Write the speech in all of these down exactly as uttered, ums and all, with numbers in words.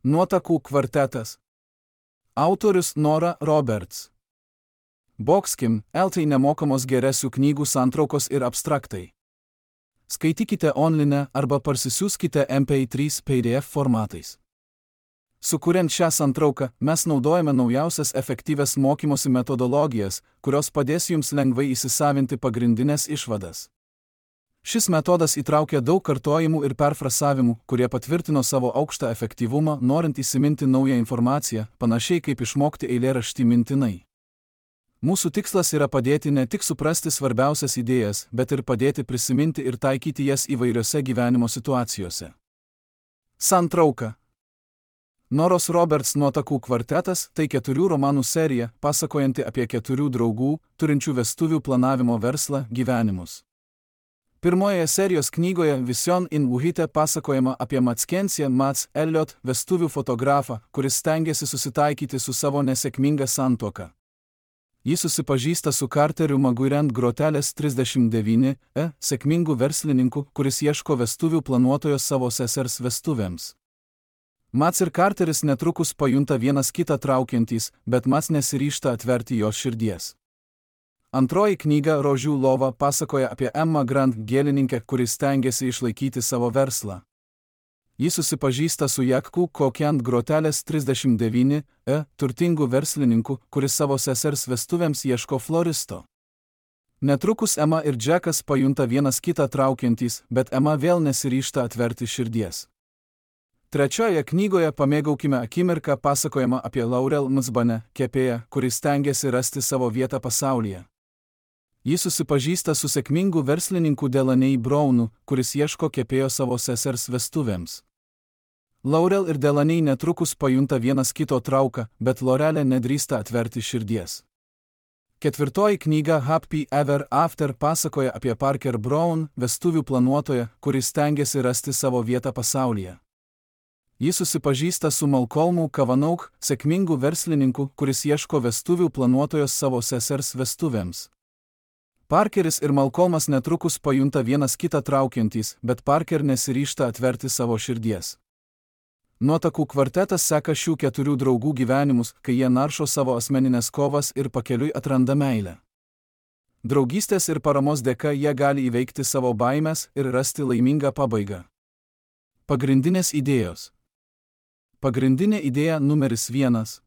Nuotakų kvartetas. Autorius Nora Roberts. Boxkim, eltai nemokamos geresių knygų santraukos ir abstraktai. Skaitykite online arba parsisiųskite M P trys P D F formatais. Sukuriant šią santrauką, mes naudojame naujausias efektyvias mokymosi metodologijas, kurios padės jums lengvai įsisavinti pagrindinės išvadas. Šis metodas įtraukia daug kartojimų ir perfrasavimų, kurie patvirtino savo aukštą efektyvumą, norint įsiminti naują informaciją, panašiai kaip išmokti eilėraštį mintinai. Mūsų tikslas yra padėti ne tik suprasti svarbiausias idėjas, bet ir padėti prisiminti ir taikyti jas įvairiose gyvenimo situacijose. Santrauka. Noros Roberts nuotakų kvartetas – tai keturių romanų serija, pasakojanti apie keturių draugų, turinčių vestuvių planavimo verslą, gyvenimus. Pirmojoje serijos knygoje Vision in Uhite pasakojama apie Mackenzie Mats Elliot, vestuvių fotografą, kuris stengiasi susitaikyti su savo nesėkminga santuoka. Jis susipažįsta su Carteriu Maguirend Grotelės trisdešimt devyni E, sėkmingu verslininku, kuris ieško vestuvių planuotojos savo sesers vestuvėms. Mats ir Carteris netrukus pajunta vienas kitą traukiantys, bet Mats nesiryžta atverti jos širdies. Antroji knyga Rožių lova pasakoja apie Emma Grant gėlininkę, kuris stengiasi išlaikyti savo verslą. Jis susipažįsta su Jakku Kokiant Grotelės trisdešimt devyni E, turtingu verslininku, kuris savo sesers vestuvėms ieško floristo. Netrukus Emma ir Jackas pajunta vienas kitą traukiantys, bet Emma vėl nesiryžta atverti širdies. Trečioje knygoje Pamėgaukime akimirką pasakojama apie Laurel Msbane, kepėją, kuris stengiasi rasti savo vietą pasaulyje. Jis susipažįsta su sėkmingu verslininku Delaney Brownu, kuris ieško kepėjo savo sesers vestuvėms. Laurel ir Delaney netrukus pajunta vienas kito trauką, bet Laurelė nedrįsta atverti širdies. Ketvirtoji knyga Happy Ever After pasakoja apie Parker Brown, vestuvių planuotoją, kuris stengiasi rasti savo vietą pasaulyje. Jis susipažįsta su Malcolmu Kavanaugh, sėkmingu verslininku, kuris ieško vestuvių planuotojos savo sesers vestuvėms. Parkeris ir Malcolmas netrukus pajunta vienas kitą traukiantys, bet Parker nesiryžta atverti savo širdies. Nuotakų kvartetas seka šių keturių draugų gyvenimus, kai jie naršo savo asmeninės kovas ir pakeliui atranda meilę. Draugystės ir paramos dėka jie gali įveikti savo baimes ir rasti laimingą pabaigą. Pagrindinės idėjos. Pagrindinė idėja numeris vienas.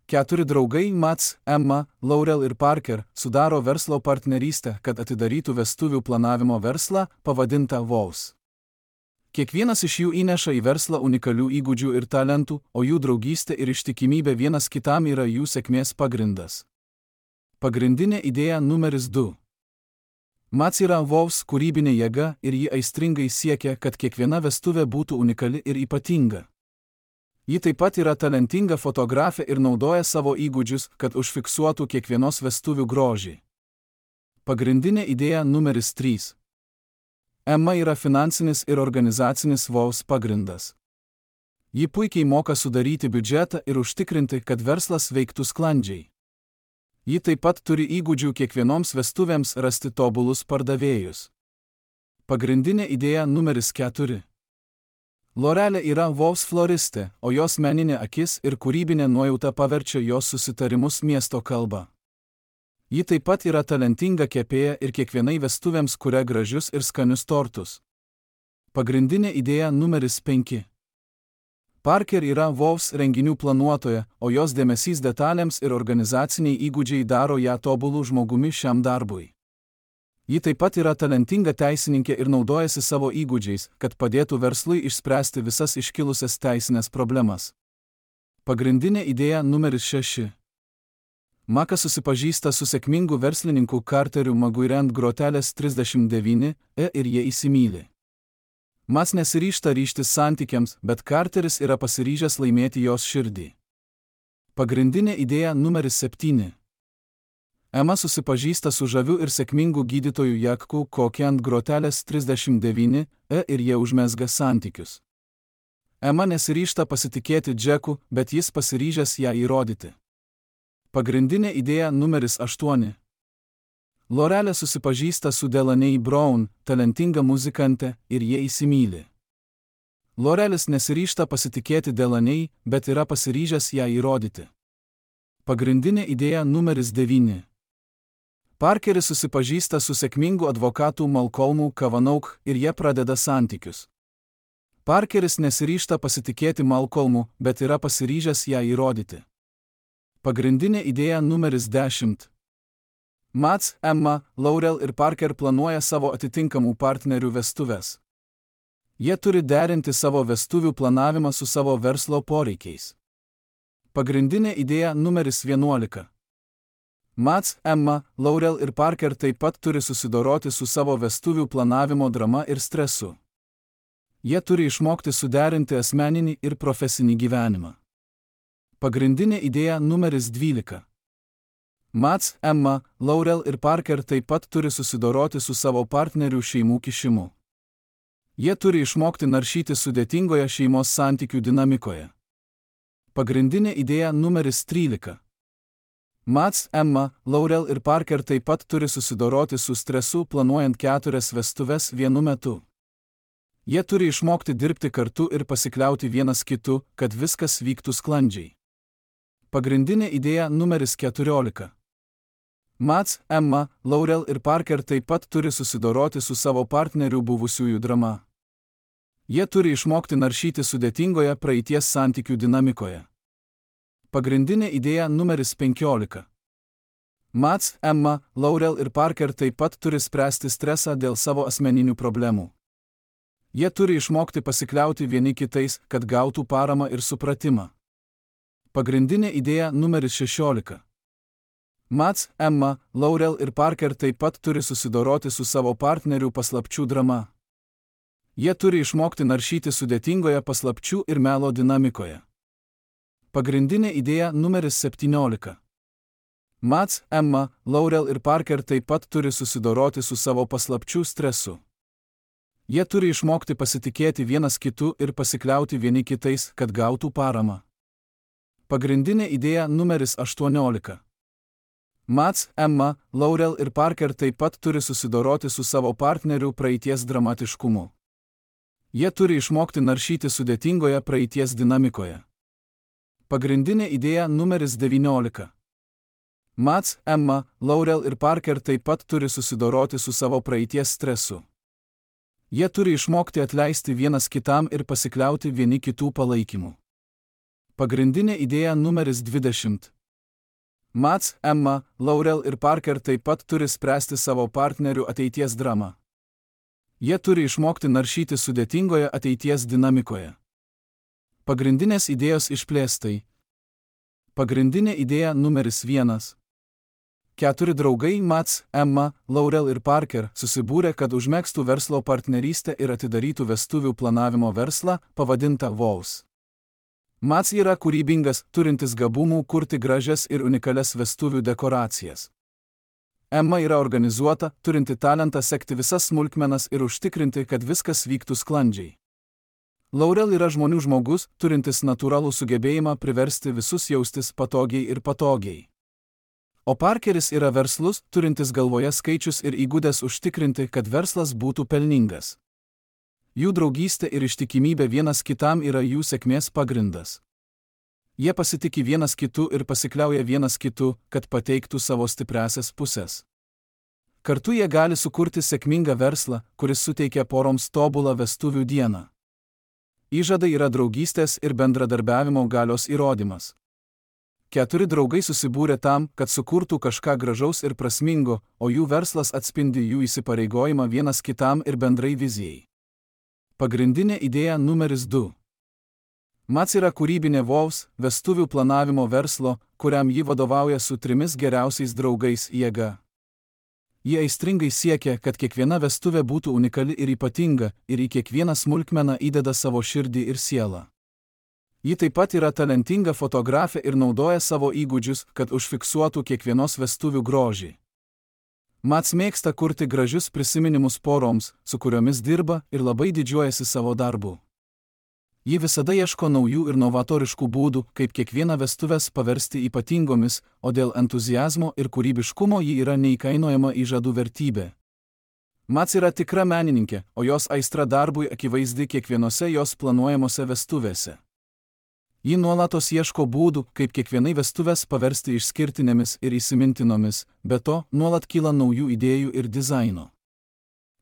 Keturi draugai Mats, Emma, Laurel ir Parker sudaro verslo partnerystę, kad atidarytų vestuvių planavimo verslą, pavadintą Vows. Kiekvienas iš jų įneša į verslą unikalių įgūdžių ir talentų, o jų draugystė ir ištikimybė vienas kitam yra jų sėkmės pagrindas. Pagrindinė idėja numeris du. Mats yra Vows kūrybinė jėga ir ji aistringai siekia, kad kiekviena vestuvė būtų unikali ir ypatinga. Ji taip pat yra talentinga fotografė ir naudoja savo įgūdžius, kad užfiksuotų kiekvienos vestuvių grožį. Pagrindinė idėja numeris trys. Emma yra finansinis ir organizacinis Vows pagrindas. Ji puikiai moka sudaryti biudžetą ir užtikrinti, kad verslas veiktų sklandžiai. Ji taip pat turi įgūdžių kiekvienoms vestuvėms rasti tobulus pardavėjus. Pagrindinė idėja numeris keturi. Laurelė yra Vows floristė, o jos meninė akis ir kūrybinė nuojauta paverčia jos susitarimus miesto kalba. Ji taip pat yra talentinga kepėja ir kiekvienai vestuvėms kuria gražius ir skanius tortus. Pagrindinė idėja numeris penki. Parker yra Vows renginių planuotoja, o jos dėmesys detalėms ir organizaciniai įgūdžiai daro ją tobulų žmogumi šiam darbui. Ji taip pat yra talentinga teisininkė ir naudojasi savo įgūdžiais, kad padėtų verslui išspręsti visas iškilusias teisinės problemas. Pagrindinė idėja numeris šeši. Makas susipažįsta su sėkmingu verslininku Carteriu Maguirend Grotelės trisdešimt devyni E ir jie įsimyli. Mats nesiryžta ryžtis santykiams, bet Carteris yra pasiryžęs laimėti jos širdį. Pagrindinė idėja numeris septyni. Emma susipažįsta su žaviu ir sėkmingu gydytoju Jakku Kokiant Grotelės trisdešimt devyni E ir jie užmezga santykius. Emma nesiryžta pasitikėti Jacku, bet jis pasiryžęs ją įrodyti. Pagrindinė idėja numeris aštuoni. Laurelė susipažįsta su Delaney Brown, talentinga muzikante, ir jie įsimyli. Lorelis nesiryžta pasitikėti Delaney, bet yra pasiryžęs ją įrodyti. Pagrindinė idėja numeris devyni. Parkeris susipažįsta su sėkmingu advokatu Malcolmu Cavanaugh ir jie pradeda santykius. Parkeris nesiryžta pasitikėti Malcolmu, bet yra pasiryžęs ją įrodyti. Pagrindinė idėja numeris dešimt. Mats, Emma, Laurel ir Parker planuoja savo atitinkamų partnerių vestuves. Jie turi derinti savo vestuvių planavimą su savo verslo poreikiais. Pagrindinė idėja numeris vienuolika. Mats, Emma, Laurel ir Parker taip pat turi susidoroti su savo vestuvių planavimo drama ir stresu. Jie turi išmokti suderinti asmeninį ir profesinį gyvenimą. Pagrindinė idėja numeris dvylika. Mats, Emma, Laurel ir Parker taip pat turi susidoroti su savo partnerių šeimų kišimu. Jie turi išmokti naršyti sudėtingoje šeimos santykių dinamikoje. Pagrindinė idėja numeris trylika. Mats, Emma, Laurel ir Parker taip pat turi susidoroti su stresu planuojant keturias vestuves vienu metu. Jie turi išmokti dirbti kartu ir pasikliauti vienas kitu, kad viskas vyktų sklandžiai. Pagrindinė idėja numeris keturiolika. Mats, Emma, Laurel ir Parker taip pat turi susidoroti su savo partnerių buvusiųjų drama. Jie turi išmokti naršyti sudėtingoje praeities santykių dinamikoje. Pagrindinė idėja numeris penkiolika. Mats, Emma, Laurel ir Parker taip pat turi spręsti stresą dėl savo asmeninių problemų. Jie turi išmokti pasikliauti vieni kitais, kad gautų paramą ir supratimą. Pagrindinė idėja numeris šešiolika. Mats, Emma, Laurel ir Parker taip pat turi susidoroti su savo partnerių paslapčių drama. Jie turi išmokti naršyti sudėtingoje paslapčių ir melo dinamikoje. Pagrindinė idėja numeris septyniolika. Mats, Emma, Laurel ir Parker taip pat turi susidoroti su savo paslapčių stresu. Jie turi išmokti pasitikėti vienas kitu ir pasikliauti vieni kitais, kad gautų paramą. Pagrindinė idėja numeris aštuoniolika. Mats, Emma, Laurel ir Parker taip pat turi susidoroti su savo partnerių praeities dramatiškumu. Jie turi išmokti naršyti sudėtingoje praeities dinamikoje. Pagrindinė idėja numeris devyniolika. Mats, Emma, Laurel ir Parker taip pat turi susidoroti su savo praeities stresu. Jie turi išmokti atleisti vienas kitam ir pasikliauti vieni kitų palaikymu. Pagrindinė idėja numeris dvidešimt. Mats, Emma, Laurel ir Parker taip pat turi spręsti savo partnerių ateities dramą. Jie turi išmokti naršyti sudėtingoje ateities dinamikoje. Pagrindinės idėjos išplėstai. Pagrindinė idėja numeris vienas. Keturi draugai Mats, Emma, Laurel ir Parker susibūrė, kad užmegztų verslo partnerystę ir atidarytų vestuvių planavimo verslą, pavadintą Vows. Mats yra kūrybingas, turintis gabumų kurti gražias ir unikalias vestuvių dekoracijas. Emma yra organizuota, turinti talentą sekti visas smulkmenas ir užtikrinti, kad viskas vyktų sklandžiai. Laurel yra žmonių žmogus, turintis natūralų sugebėjimą priversti visus jaustis patogiai ir patogiai. O Parkeris yra verslus, turintis galvoje skaičius ir įgudęs užtikrinti, kad verslas būtų pelningas. Jų draugystė ir ištikimybė vienas kitam yra jų sėkmės pagrindas. Jie pasitiki vienas kitu ir pasikliauja vienas kitu, kad pateiktų savo stipriąsias pusės. Kartu jie gali sukurti sėkmingą verslą, kuris suteikia poroms tobulą vestuvių dieną. Įžadai yra draugystės ir bendradarbiavimo galios įrodymas. Keturi draugai susibūrė tam, kad sukurtų kažką gražaus ir prasmingo, o jų verslas atspindi jų įsipareigojimą vienas kitam ir bendrai vizijai. Pagrindinė idėja numeris du. Mats yra kūrybinė Vows, vestuvių planavimo verslo, kuriam ji vadovauja su trimis geriausiais draugais jėga. Jie aistringai siekia, kad kiekviena vestuvė būtų unikali ir ypatinga, ir į kiekvieną smulkmeną įdeda savo širdį ir sielą. Ji taip pat yra talentinga fotografė ir naudoja savo įgūdžius, kad užfiksuotų kiekvienos vestuvių grožį. Mats mėgsta kurti gražius prisiminimus poroms, su kuriomis dirba, ir labai didžiuojasi savo darbu. Ji visada ieško naujų ir novatoriškų būdų, kaip kiekvieną vestuves paversti ypatingomis, o dėl entuziazmo ir kūrybiškumo ji yra neįkainojama įžadų vertybė. Mats yra tikra menininkė, o jos aistra darbui akivaizdi kiekvienose jos planuojamose vestuvėse. Ji nuolatos ieško būdų, kaip kiekvienai vestuvės paversti išskirtinėmis ir įsimintinomis, be to nuolat kyla naujų idėjų ir dizaino.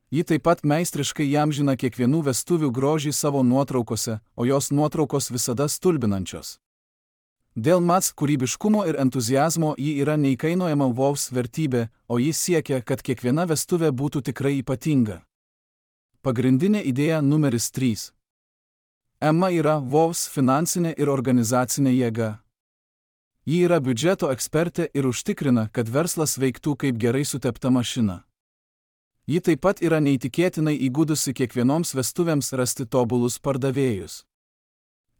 Ji taip pat meistriškai įamžina kiekvienų vestuvių grožį savo nuotraukose, o jos nuotraukos visada stulbinančios. Dėl Mats kūrybiškumo ir entuziazmo ji yra neįkainojama Vows vertybė, o ji siekia, kad kiekviena vestuvė būtų tikrai ypatinga. Pagrindinė idėja numeris trys. Emma yra Vows finansinė ir organizacinė jėga. Ji yra biudžeto ekspertė ir užtikrina, kad verslas veiktų kaip gerai sutepta mašina. Ji taip pat yra neįtikėtinai įgudusi kiekvienoms vestuvėms rasti tobulus pardavėjus.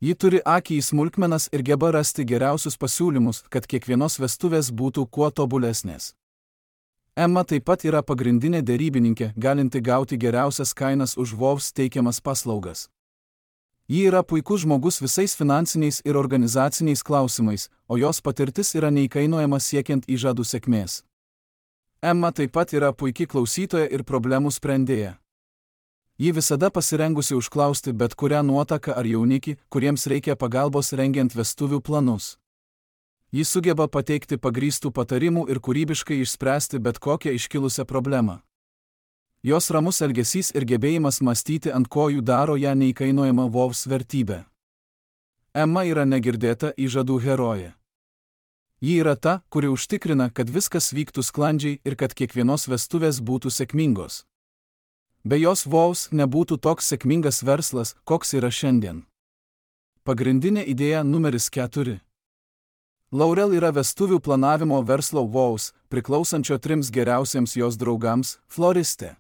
Ji turi akį į smulkmenas ir geba rasti geriausius pasiūlymus, kad kiekvienos vestuvės būtų kuo tobulesnės. Emma taip pat yra pagrindinė derybininkė, galinti gauti geriausias kainas už Vows teikiamas paslaugas. Ji yra puikus žmogus visais finansiniais ir organizaciniais klausimais, o jos patirtis yra neįkainojama siekiant įžadų sėkmės. Emma taip pat yra puiki klausytoja ir problemų sprendėja. Ji visada pasirengusi užklausti bet kurią nuotaką ar jaunikį, kuriems reikia pagalbos rengiant vestuvių planus. Ji sugeba pateikti pagrįstų patarimų ir kūrybiškai išspręsti bet kokią iškilusią problemą. Jos ramus elgesys ir gebėjimas mąstyti ant kojų daro ją neįkainojama Vows vertybę. Emma yra negirdėta įžadų herojė. Ji yra ta, kuri užtikrina, kad viskas vyktų sklandžiai ir kad kiekvienos vestuvės būtų sėkmingos. Be jos Vows nebūtų toks sėkmingas verslas, koks yra šiandien. Pagrindinė idėja numeris keturi. Laurel yra vestuvių planavimo verslo Vows, priklausančio trims geriausiems jos draugams, floristė.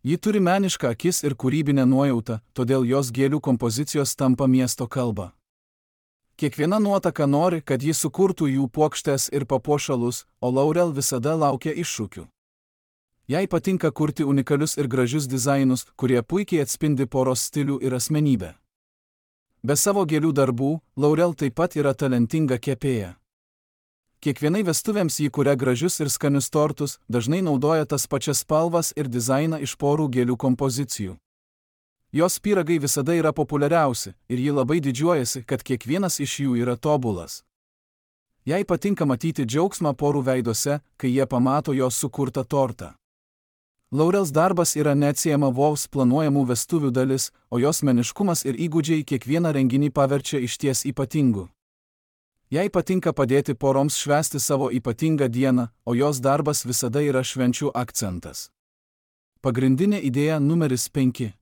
Ji turi menišką akis ir kūrybinę nuojautą, todėl jos gėlių kompozicijos tampa miesto kalba. Kiekviena nuotaka nori, kad ji sukurtų jų puokštes ir papuošalus, o Laurel visada laukia iššūkių. Jai patinka kurti unikalius ir gražius dizainus, kurie puikiai atspindi poros stilių ir asmenybę. Be savo gėlių darbų, Laurel taip pat yra talentinga kepėja. Kiekvienai vestuvėms ji kuria gražius ir skanius tortus, dažnai naudoja tas pačias spalvas ir dizainą iš porų gėlių kompozicijų. Jos pyragai visada yra populiariausi ir ji labai didžiuojasi, kad kiekvienas iš jų yra tobulas. Jai patinka matyti džiaugsmą porų veiduose, kai jie pamato jos sukurtą tortą. Laurels darbas yra neatsiejama Vows planuojamų vestuvių dalis, o jos meniškumas ir įgūdžiai kiekvieną renginį paverčia išties ypatingu. Jai patinka padėti poroms švęsti savo ypatingą dieną, o jos darbas visada yra švenčių akcentas. Pagrindinė idėja numeris penki.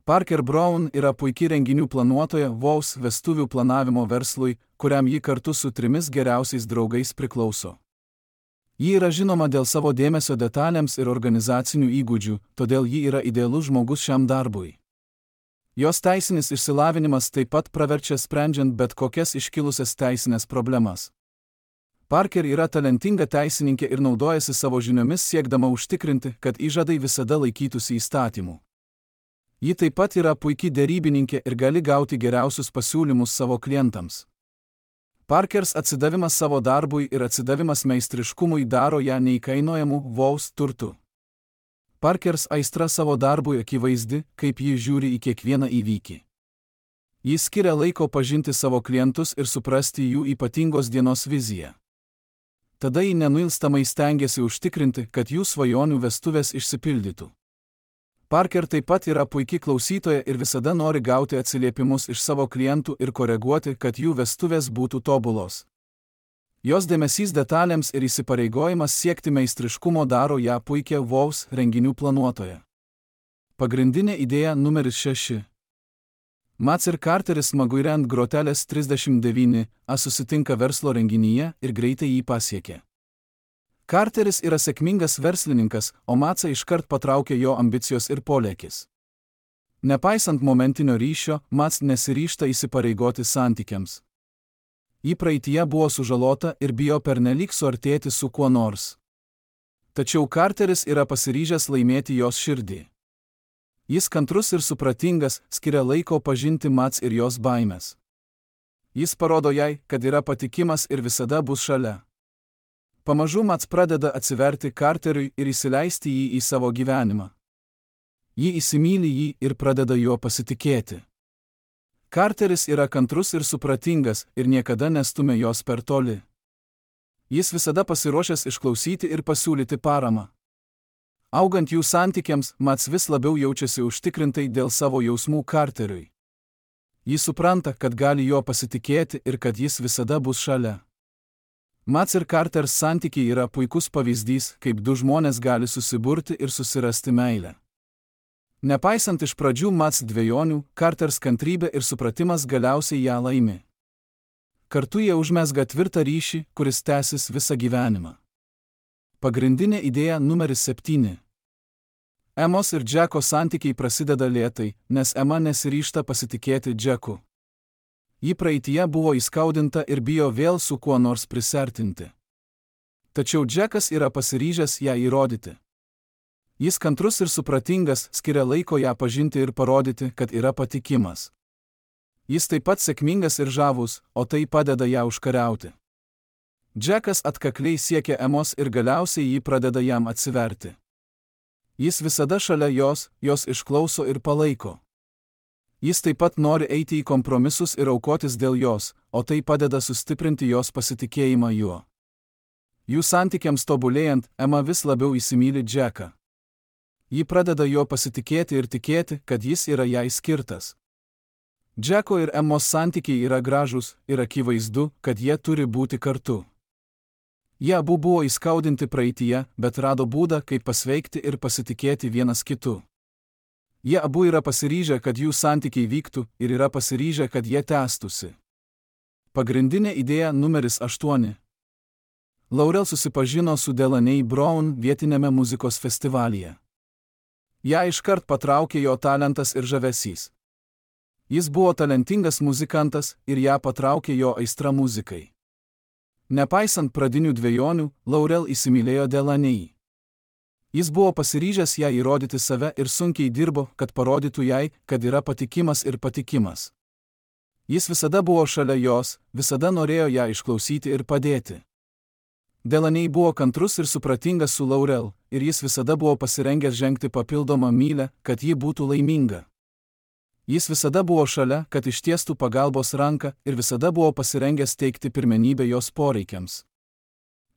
Parker Brown yra puiki renginių planuotoja Vows vestuvių planavimo verslui, kuriam ji kartu su trimis geriausiais draugais priklauso. Ji yra žinoma dėl savo dėmesio detalėms ir organizacinių įgūdžių, todėl ji yra idealus žmogus šiam darbui. Jos teisinis išsilavinimas taip pat praverčia sprendžiant bet kokias iškilusias teisinės problemas. Parker yra talentinga teisininkė ir naudojasi savo žiniomis siekdama užtikrinti, kad įžadai visada laikytųsi įstatymų. Ji taip pat yra puiki derybininkė ir gali gauti geriausius pasiūlymus savo klientams. Parkers atsidavimas savo darbui ir atsidavimas meistriškumui daro ją neįkainojamų Vows turtų. Parkers aistra savo darbui akivaizdi, kaip ji žiūri į kiekvieną įvykį. Ji skiria laiko pažinti savo klientus ir suprasti jų ypatingos dienos viziją. Tada ji nenuilstamai stengiasi užtikrinti, kad jų svajonių vestuvės išsipildytų. Parker taip pat yra puiki klausytoja ir visada nori gauti atsiliepimus iš savo klientų ir koreguoti, kad jų vestuvės būtų tobulos. Jos dėmesys detalėms ir įsipareigojimas siekti meistriškumo daro ją puikia Vows renginių planuotoja. Pagrindinė idėja numeris šeši. Mats ir Carteris smaguire ant grotelės trisdešimt devyni A susitinka verslo renginyje ir greitai jį pasiekia. Carteris yra sėkmingas verslininkas, o Matsą iškart patraukia jo ambicijos ir polėkis. Nepaisant momentinio ryšio, Mats nesiryžta įsipareigoti santykiams. Ji praeityje buvo sužalota ir bijo pernelyg suartėti su kuo nors. Tačiau Carteris yra pasiryžęs laimėti jos širdį. Jis kantrus ir supratingas, skiria laiko pažinti Mats ir jos baimes. Jis parodo jai, kad yra patikimas ir visada bus šalia. Pamažu Mats pradeda atsiverti Carteriui ir įsileisti jį į savo gyvenimą. Ji įsimyli jį ir pradeda juo pasitikėti. Carteris yra kantrus ir supratingas ir niekada nestumia jos per toli. Jis visada pasiruošęs išklausyti ir pasiūlyti paramą. Augant jų santykiams, Mats vis labiau jaučiasi užtikrintai dėl savo jausmų Carteriui. Jis supranta, kad gali juo pasitikėti ir kad jis visada bus šalia. Mats ir Carters santykiai yra puikus pavyzdys, kaip du žmonės gali susiburti ir susirasti meilę. Nepaisant iš pradžių Mats dvejonių, Carters kantrybė ir supratimas galiausiai ją laimi. Kartu jie užmezga tvirtą ryšį, kuris tęsis visą gyvenimą. Pagrindinė idėja numeris septyni. Emos ir Džeko santykiai prasideda lėtai, nes Ema nesiryžta pasitikėti Džeku. Ji praeityje buvo įskaudinta ir bijo vėl su kuo nors prisertinti. Tačiau Džekas yra pasiryžęs ją įrodyti. Jis kantrus ir supratingas, skiria laiko ją pažinti ir parodyti, kad yra patikimas. Jis taip pat sėkmingas ir žavus, o tai padeda ją užkariauti. Džekas atkakliai siekia Emos ir galiausiai ji pradeda jam atsiverti. Jis visada šalia jos, jos išklauso ir palaiko. Jis taip pat nori eiti į kompromisus ir aukotis dėl jos, o tai padeda sustiprinti jos pasitikėjimą juo. Jų santykiams tobulėjant, Ema vis labiau įsimyli Džeką. Ji pradeda jo pasitikėti ir tikėti, kad jis yra jai skirtas. Džeko ir Emos santykiai yra gražūs ir akivaizdu, kad jie turi būti kartu. Jie abu buvo įskaudinti praeityje, bet rado būdą, kaip pasveikti ir pasitikėti vienas kitu. Jie abu yra pasiryžę, kad jų santykiai vyktų ir yra pasiryžę, kad jie tęstųsi. Pagrindinė idėja numeris aštuoni. Laurel susipažino su Delaney Brown vietinėme muzikos festivalyje. Ją iškart patraukė jo talentas ir žavesys. Jis buvo talentingas muzikantas ir ją patraukė jo aistra muzikai. Nepaisant pradinių dvejonių, Laurel įsimylėjo Delaney. Jis buvo pasiryžęs ją įrodyti save ir sunkiai dirbo, kad parodytų jai, kad yra patikimas ir patikimas. Jis visada buvo šalia jos, visada norėjo ją išklausyti ir padėti. Delaney buvo kantrus ir supratingas su Laurel, ir jis visada buvo pasirengęs žengti papildomą mylę, kad ji būtų laiminga. Jis visada buvo šalia, kad ištiestų pagalbos ranką ir visada buvo pasirengęs teikti pirmenybę jos poreikiams.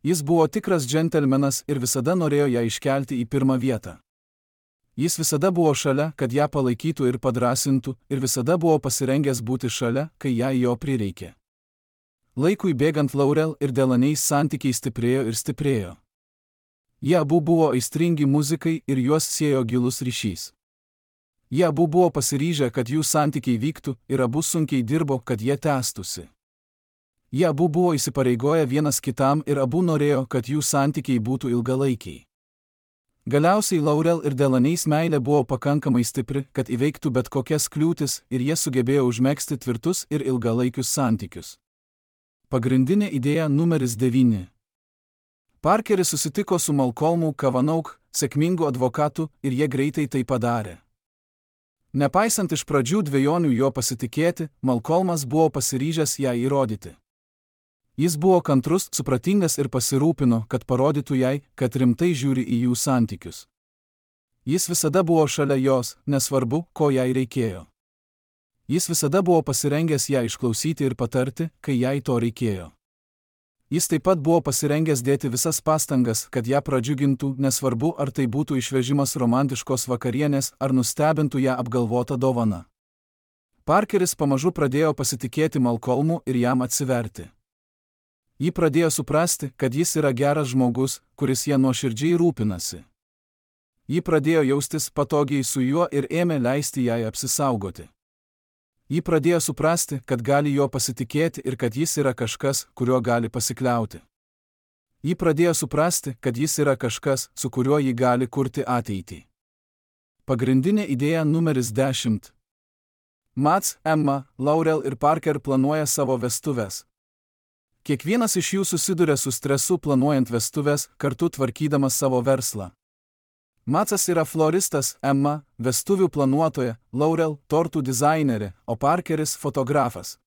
Jis buvo tikras džentelmenas ir visada norėjo ją iškelti į pirmą vietą. Jis visada buvo šalia, kad ją palaikytų ir padrasintų, ir visada buvo pasirengęs būti šalia, kai jai jo prireikė. Laikui bėgant Laurel ir Delaney santykiai stiprėjo ir stiprėjo. Jie abu buvo aistringi muzikai ir juos siejo gilus ryšys. Jie abu buvo pasiryžę, kad jų santykiai vyktų, ir abu sunkiai dirbo, kad jie tęstųsi. Jie abu buvo įsipareigoję vienas kitam ir abu norėjo, kad jų santykiai būtų ilgalaikiai. Galiausiai Laurel ir Delaneys meilė buvo pakankamai stipri, kad įveiktų bet kokias kliūtis ir jie sugebėjo užmegzti tvirtus ir ilgalaikius santykius. Pagrindinė idėja numeris devyni. Parkeris susitiko su Malcolmu Cavanaugh, sėkmingu advokatu, ir jie greitai tai padarė. Nepaisant iš pradžių dvejonių jo pasitikėti, Malcolmas buvo pasiryžęs ją įrodyti. Jis buvo kantrus, supratingas ir pasirūpino, kad parodytų jai, kad rimtai žiūri į jų santykius. Jis visada buvo šalia jos, nesvarbu, ko jai reikėjo. Jis visada buvo pasirengęs ją išklausyti ir patarti, kai jai to reikėjo. Jis taip pat buvo pasirengęs dėti visas pastangas, kad ją pradžiugintų, nesvarbu, ar tai būtų išvežimas romantiškos vakarienės, ar nustebintų ją apgalvota dovana. Parkeris pamažu pradėjo pasitikėti Malcolmu ir jam atsiverti. Ji pradėjo suprasti, kad jis yra geras žmogus, kuris ją nuoširdžiai rūpinasi. Ji pradėjo jaustis patogiai su juo ir ėmė leisti jai apsisaugoti. Ji pradėjo suprasti, kad gali jo pasitikėti ir kad jis yra kažkas, kuriuo gali pasikliauti. Ji pradėjo suprasti, kad jis yra kažkas, su kuriuo ji gali kurti ateitį. Pagrindinė idėja numeris dešimt. Mats, Emma, Laurel ir Parker planuoja savo vestuves. Kiekvienas iš jų susiduria su stresu planuojant vestuves, kartu tvarkydamas savo verslą. Matsas yra floristas, Emma, vestuvių planuotoja, Laurel, tortų dizainerė, o Parkeris fotografas.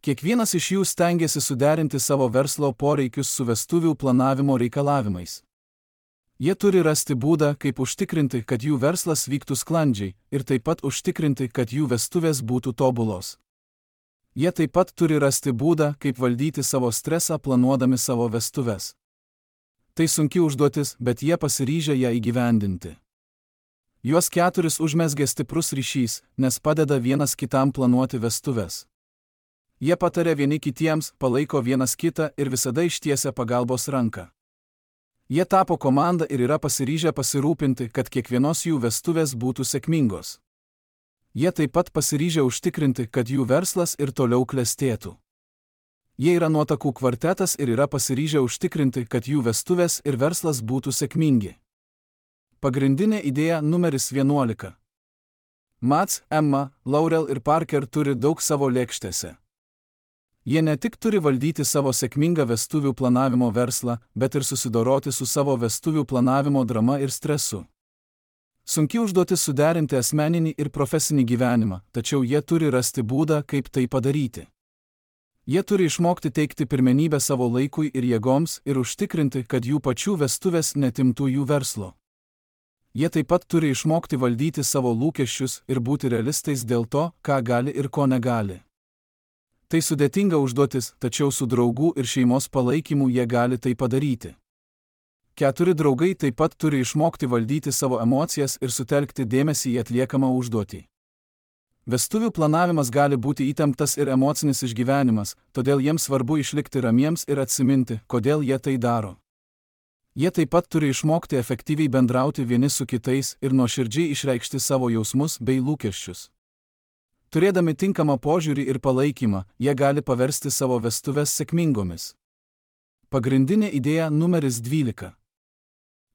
Kiekvienas iš jų stengiasi suderinti savo verslo poreikius su vestuvių planavimo reikalavimais. Jie turi rasti būdą, kaip užtikrinti, kad jų verslas vyktų sklandžiai, ir taip pat užtikrinti, kad jų vestuvės būtų tobulos. Jie taip pat turi rasti būdą, kaip valdyti savo stresą planuodami savo vestuves. Tai sunki užduotis, bet jie pasiryžę ją įgyvendinti. Juos keturis užmezgė stiprus ryšys, nes padeda vienas kitam planuoti vestuves. Jie pataria vieni kitiems, palaiko vienas kitą ir visada ištiesia pagalbos ranką. Jie tapo komanda ir yra pasiryžę pasirūpinti, kad kiekvienos jų vestuvės būtų sėkmingos. Jie taip pat pasiryžę užtikrinti, kad jų verslas ir toliau klestėtų. Jie yra nuotakų kvartetas ir yra pasiryžę užtikrinti, kad jų vestuvės ir verslas būtų sėkmingi. Pagrindinė idėja numeris vienuolika. Mats, Emma, Laurel ir Parker turi daug savo lėkštėse. Jie ne tik turi valdyti savo sėkmingą vestuvių planavimo verslą, bet ir susidoroti su savo vestuvių planavimo drama ir stresu. Sunki užduotis suderinti asmeninį ir profesinį gyvenimą, tačiau jie turi rasti būdą, kaip tai padaryti. Jie turi išmokti teikti pirmenybę savo laikui ir jėgoms ir užtikrinti, kad jų pačių vestuvės netimtų jų verslo. Jie taip pat turi išmokti valdyti savo lūkesčius ir būti realistais dėl to, ką gali ir ko negali. Tai sudėtinga užduotis, tačiau su draugų ir šeimos palaikymu jie gali tai padaryti. Keturi draugai taip pat turi išmokti valdyti savo emocijas ir sutelkti dėmesį į atliekamą užduotį. Vestuvių planavimas gali būti įtemptas ir emocinis išgyvenimas, todėl jiems svarbu išlikti ramiems ir atsiminti, kodėl jie tai daro. Jie taip pat turi išmokti efektyviai bendrauti vieni su kitais ir nuoširdžiai išreikšti savo jausmus bei lūkesčius. Turėdami tinkamą požiūrį ir palaikymą, jie gali paversti savo vestuves sėkmingomis. Pagrindinė idėja numeris dvylika.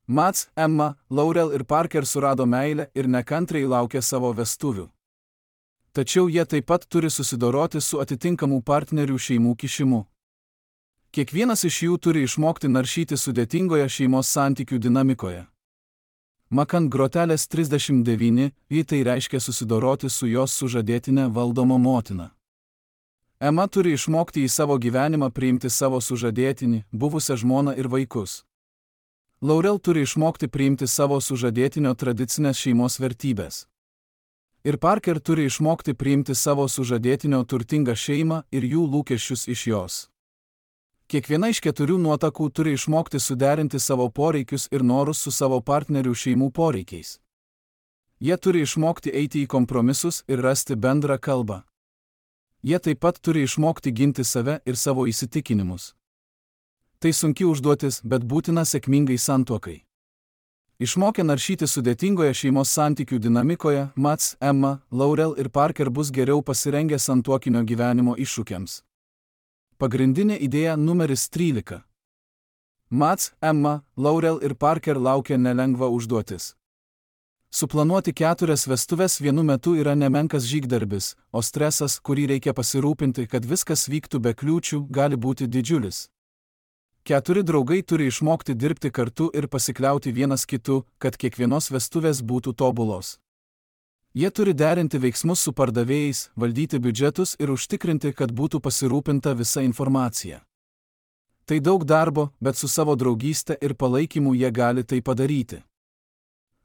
Mats, Emma, Laurel ir Parker surado meilę ir nekantriai laukia savo vestuvių. Tačiau jie taip pat turi susidoroti su atitinkamų partnerių šeimų kišimu. Kiekvienas iš jų turi išmokti naršyti sudėtingoje šeimos santykių dinamikoje. Makant grotelės trisdešimt devyni, jį tai reiškia susidoroti su jos sužadėtine valdoma motina. Emma turi išmokti į savo gyvenimą priimti savo sužadėtinį, buvusią žmoną ir vaikus. Laurel turi išmokti priimti savo sužadėtinio tradicinės šeimos vertybės. Ir Parker turi išmokti priimti savo sužadėtinio turtingą šeimą ir jų lūkesčius iš jos. Kiekviena iš keturių nuotakų turi išmokti suderinti savo poreikius ir norus su savo partnerių šeimų poreikiais. Jie turi išmokti eiti į kompromisus ir rasti bendrą kalbą. Jie taip pat turi išmokti ginti save ir savo įsitikinimus. Tai sunki užduotis, bet būtina sėkmingai santuokai. Išmokę naršyti sudėtingoje šeimos santykių dinamikoje, Mats, Emma, Laurel ir Parker bus geriau pasirengę santuokinio gyvenimo iššūkiams. Pagrindinė idėja numeris trylika. Mats, Emma, Laurel ir Parker laukia nelengva užduotis. Suplanuoti keturias vestuves vienu metu yra nemenkas žygdarbis, o stresas, kurį reikia pasirūpinti, kad viskas vyktų be kliūčių, gali būti didžiulis. Keturi draugai turi išmokti dirbti kartu ir pasikliauti vienas kitu, kad kiekvienos vestuvės būtų tobulos. Jie turi derinti veiksmus su pardavėjais, valdyti biudžetus ir užtikrinti, kad būtų pasirūpinta visa informacija. Tai daug darbo, bet su savo draugystė ir palaikymu jie gali tai padaryti.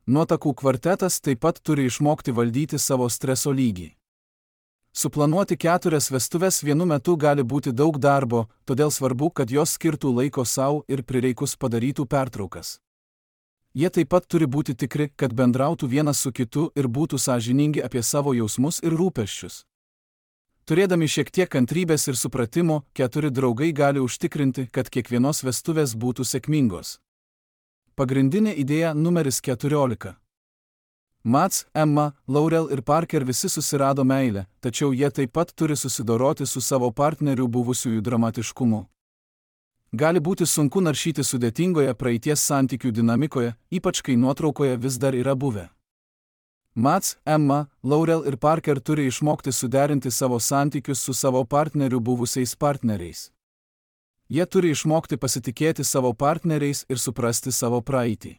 Nuotakų kvartetas taip pat turi išmokti valdyti savo streso lygį. Suplanuoti keturias vestuves vienu metu gali būti daug darbo, todėl svarbu, kad jos skirtų laiko sau ir prireikus padarytų pertraukas. Jie taip pat turi būti tikri, kad bendrautų vienas su kitu ir būtų sąžiningi apie savo jausmus ir rūpesčius. Turėdami šiek tiek kantrybės ir supratimo, keturi draugai gali užtikrinti, kad kiekvienos vestuvės būtų sėkmingos. Pagrindinė idėja numeris keturiolika. Mats, Emma, Laurel ir Parker visi susirado meilę, tačiau jie taip pat turi susidoroti su savo partnerių buvusiųjų dramatiškumu. Gali būti sunku naršyti sudėtingoje praeities santykių dinamikoje, ypač kai nuotraukoje vis dar yra buvę. Mats, Emma, Laurel ir Parker turi išmokti suderinti savo santykius su savo partnerių buvusiais partneriais. Jie turi išmokti pasitikėti savo partneriais ir suprasti savo praeitį.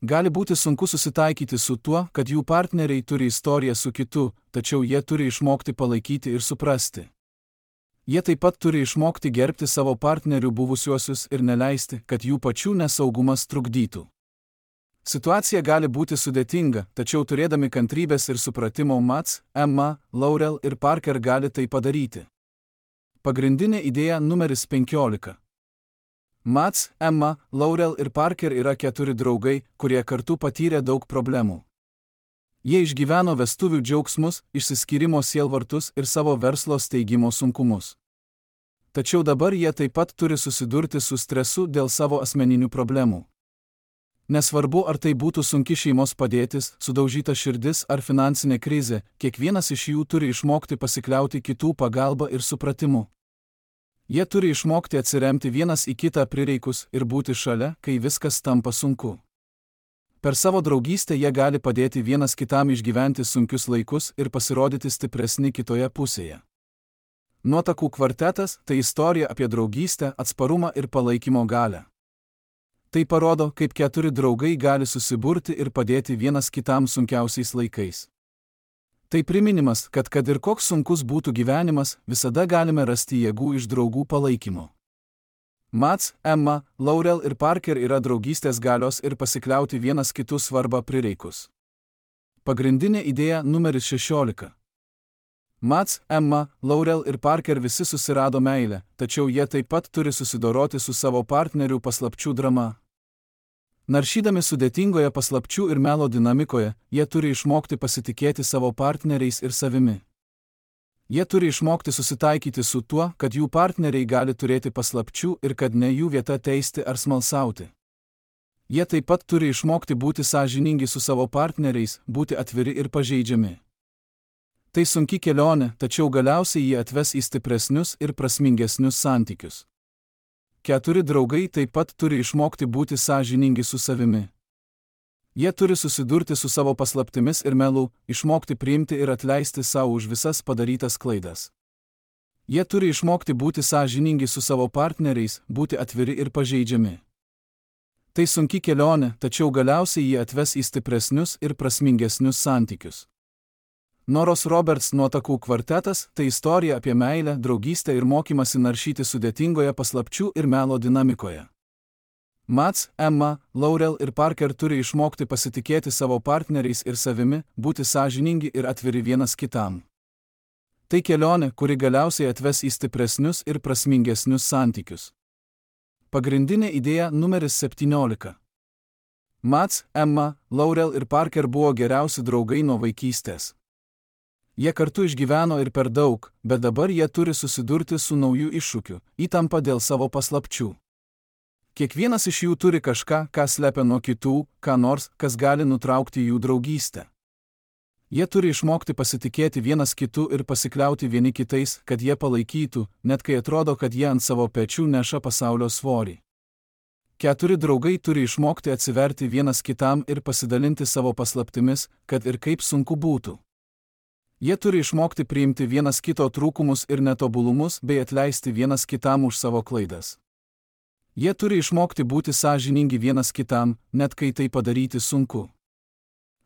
Gali būti sunku susitaikyti su tuo, kad jų partneriai turi istoriją su kitu, tačiau jie turi išmokti palaikyti ir suprasti. Jie taip pat turi išmokti gerbti savo partnerių buvusiuosius ir neleisti, kad jų pačių nesaugumas trukdytų. Situacija gali būti sudėtinga, tačiau turėdami kantrybės ir supratimo Mads, Emma, Laurel ir Parker gali tai padaryti. Pagrindinė idėja numeris penkiolika. Mads, Emma, Laurel ir Parker yra keturi draugai, kurie kartu patyrė daug problemų. Jie išgyveno vestuvių džiaugsmus, išsiskyrimo sielvartus ir savo verslo steigimo sunkumus. Tačiau dabar jie taip pat turi susidurti su stresu dėl savo asmeninių problemų. Nesvarbu, ar tai būtų sunki šeimos padėtis, sudaužyta širdis ar finansinė krizė, kiekvienas iš jų turi išmokti pasikliauti kitų pagalba ir supratimu. Jie turi išmokti atsiremti vienas į kitą prireikus ir būti šalia, kai viskas tampa sunku. Per savo draugystę jie gali padėti vienas kitam išgyventi sunkius laikus ir pasirodyti stipresni kitoje pusėje. Nuotakų kvartetas – tai istorija apie draugystę, atsparumą ir palaikymo galią. Tai parodo, kaip keturi draugai gali susiburti ir padėti vienas kitam sunkiausiais laikais. Tai priminimas, kad kad ir koks sunkus būtų gyvenimas, visada galime rasti jėgų iš draugų palaikymo. Mads, Emma, Laurel ir Parker yra draugystės galios ir pasikliauti vienas kitų svarbą prireikus. Pagrindinė idėja numeris šešiolika. Mads, Emma, Laurel ir Parker visi susirado meilę, tačiau jie taip pat turi susidoroti su savo partnerių paslapčių drama. Naršydami sudėtingoje paslapčių ir melo dinamikoje, jie turi išmokti pasitikėti savo partneriais ir savimi. Jie turi išmokti susitaikyti su tuo, kad jų partneriai gali turėti paslapčių ir kad ne jų vieta teisti ar smalsauti. Jie taip pat turi išmokti būti sąžiningi su savo partneriais, būti atviri ir pažeidžiami. Tai sunki kelionė, tačiau galiausiai jie atves į stipresnius ir prasmingesnius santykius. Keturi draugai taip pat turi išmokti būti sąžiningi su savimi. Jie turi susidurti su savo paslaptimis ir melu, išmokti priimti ir atleisti savo už visas padarytas klaidas. Jie turi išmokti būti sąžiningi su savo partneriais, būti atviri ir pažeidžiami. Tai sunki kelionė, tačiau galiausiai jie atves į stipresnius ir prasmingesnius santykius. Noros Roberts nuotakų kvartetas – tai istorija apie meilę, draugystę ir mokymasi naršyti sudėtingoje paslapčių ir melo dinamikoje. Mads, Emma, Laurel ir Parker turi išmokti pasitikėti savo partneriais ir savimi, būti sąžiningi ir atviri vienas kitam. Tai kelionė, kuri galiausiai atves į stipresnius ir prasmingesnius santykius. Pagrindinė idėja numeris septyniolika. Mads, Emma, Laurel ir Parker buvo geriausi draugai nuo vaikystės. Jie kartu išgyveno ir per daug, bet dabar jie turi susidurti su nauju iššūkiu – įtampa dėl savo paslapčių. Kiekvienas iš jų turi kažką, ką slepia nuo kitų, ką nors, kas gali nutraukti jų draugystę. Jie turi išmokti pasitikėti vienas kitu ir pasikliauti vieni kitais, kad jie palaikytų, net kai atrodo, kad jie ant savo pečių neša pasaulio svorį. Keturi draugai turi išmokti atsiverti vienas kitam ir pasidalinti savo paslaptimis, kad ir kaip sunku būtų. Jie turi išmokti priimti vienas kito trūkumus ir netobulumus bei atleisti vienas kitam už savo klaidas. Jie turi išmokti būti sąžiningi vienas kitam, net kai tai padaryti sunku.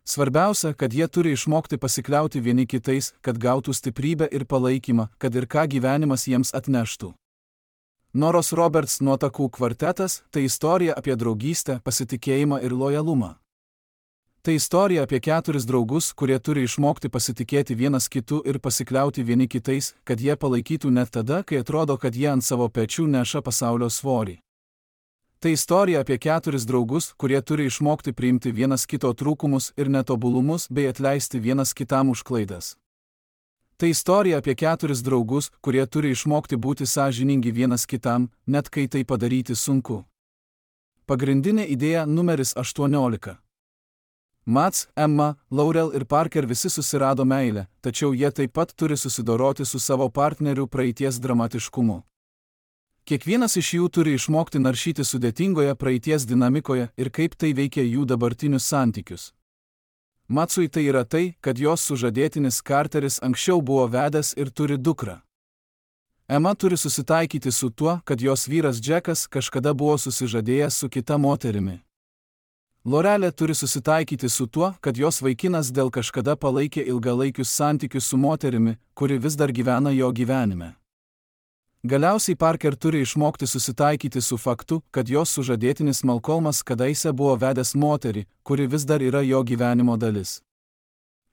Svarbiausia, kad jie turi išmokti pasikliauti vieni kitais, kad gautų stiprybę ir palaikymą, kad ir ką gyvenimas jiems atneštų. Noros Roberts nuotakų kvartetas – tai istorija apie draugystę, pasitikėjimą ir lojalumą. Tai istorija apie keturis draugus, kurie turi išmokti pasitikėti vienas kitu ir pasikliauti vieni kitais, kad jie palaikytų net tada, kai atrodo, kad jie ant savo pečių neša pasaulio svorį. Tai istorija apie keturis draugus, kurie turi išmokti priimti vienas kito trūkumus ir netobulumus bei atleisti vienas kitam už klaidas. Tai istorija apie keturis draugus, kurie turi išmokti būti sąžiningi vienas kitam, net kai tai padaryti sunku. Pagrindinė idėja numeris aštuoniolika. Mads, Emma, Laurel ir Parker visi susirado meilę, tačiau jie taip pat turi susidoroti su savo partnerių praeities dramatiškumu. Kiekvienas iš jų turi išmokti naršyti sudėtingoje praeities dinamikoje ir kaip tai veikia jų dabartinius santykius. Madsui tai yra tai, kad jos sužadėtinis Carteris anksčiau buvo vedęs ir turi dukrą. Emma turi susitaikyti su tuo, kad jos vyras Džekas kažkada buvo susižadėjęs su kita moterimi. Laurelė turi susitaikyti su tuo, kad jos vaikinas dėl kažkada palaikė ilgalaikius santykius su moterimi, kuri vis dar gyvena jo gyvenime. Galiausiai Parker turi išmokti susitaikyti su faktu, kad jos sužadėtinis Malcolmas kadaise buvo vedęs moterį, kuri vis dar yra jo gyvenimo dalis.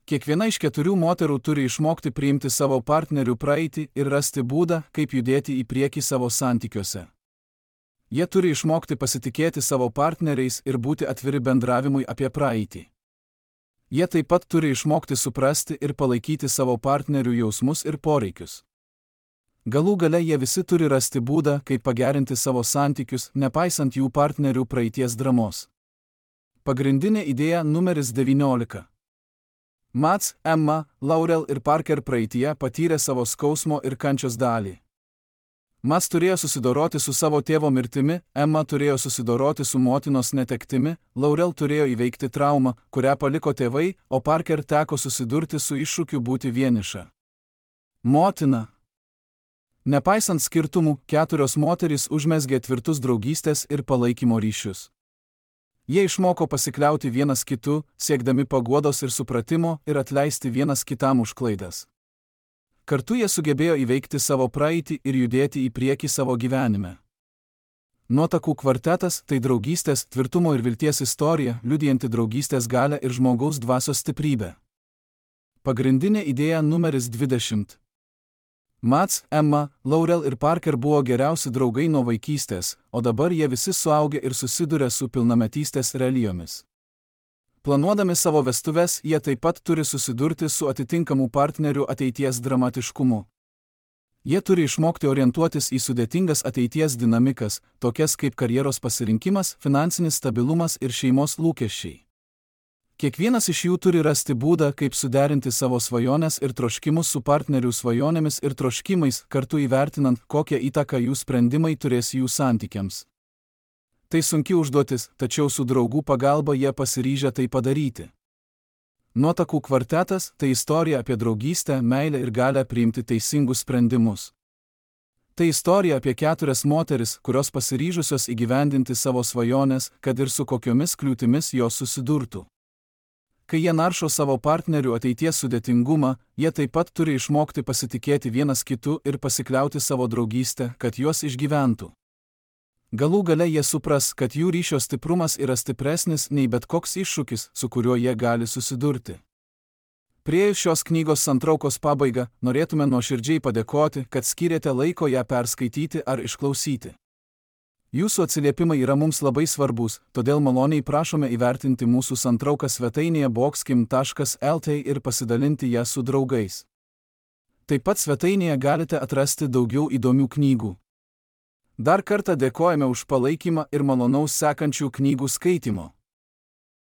Kiekviena iš keturių moterų turi išmokti priimti savo partnerių praeitį ir rasti būdą, kaip judėti į priekį savo santykiuose. Jie turi išmokti pasitikėti savo partneriais ir būti atviri bendravimui apie praeitį. Jie taip pat turi išmokti suprasti ir palaikyti savo partnerių jausmus ir poreikius. Galų gale jie visi turi rasti būdą, kaip pagerinti savo santykius, nepaisant jų partnerių praeities dramos. Pagrindinė idėja numeris devyniolika. Mats, Emma, Laurel ir Parker praeityje patyrė savo skausmo ir kančios dalį. Mats turėjo susidoroti su savo tėvo mirtimi, Emma turėjo susidoroti su motinos netektimi, Laurel turėjo įveikti traumą, kurią paliko tėvai, o Parker teko susidurti su iššūkiu būti vieniša. Motina. Nepaisant skirtumų, keturios moterys užmezgė tvirtus draugystės ir palaikymo ryšius. Jie išmoko pasikliauti vienas kitu, siekdami paguodos ir supratimo ir atleisti vienas kitam už klaidas. Kartu jie sugebėjo įveikti savo praeitį ir judėti į priekį savo gyvenime. Nuotakų kvartetas – tai draugystės, tvirtumo ir vilties istorija, liudijanti draugystės galią ir žmogaus dvasios stiprybę. Pagrindinė idėja numeris dvidešimt. Mats, Emma, Laurel ir Parker buvo geriausi draugai nuo vaikystės, o dabar jie visi suaugę ir susiduria su pilnametystės realijomis. Planuodami savo vestuves, jie taip pat turi susidurti su atitinkamų partnerių ateities dramatiškumu. Jie turi išmokti orientuotis į sudėtingas ateities dinamikas, tokias kaip karjeros pasirinkimas, finansinis stabilumas ir šeimos lūkesčiai. Kiekvienas iš jų turi rasti būdą, kaip suderinti savo svajones ir troškimus su partnerių svajonėmis ir troškimais, kartu įvertinant, kokią įtaką jų sprendimai turės jų santykiams. Tai sunki užduotis, tačiau su draugų pagalba jie pasiryžę tai padaryti. Nuotakų kvartetas – tai istorija apie draugystę, meilę ir galią priimti teisingus sprendimus. Tai istorija apie keturias moteris, kurios pasiryžusios įgyvendinti savo svajones, kad ir su kokiomis kliūtimis jos susidurtų. Kai jie naršo savo partnerių ateities sudėtingumą, jie taip pat turi išmokti pasitikėti vienas kitu ir pasikliauti savo draugystę, kad juos išgyventų. Galų gale jie supras, kad jų ryšio stiprumas yra stipresnis nei bet koks iššūkis, su kuriuo jie gali susidurti. Priėjus šios knygos santraukos pabaigą, norėtume nuoširdžiai padėkoti, kad skyrėte laiko ją perskaityti ar išklausyti. Jūsų atsiliepimai yra mums labai svarbus, todėl maloniai prašome įvertinti mūsų santrauką svetainėje boxkim taškas lt ir pasidalinti ją su draugais. Taip pat svetainėje galite atrasti daugiau įdomių knygų. Dar kartą dėkojame už palaikymą ir malonaus sekančių knygų skaitimo.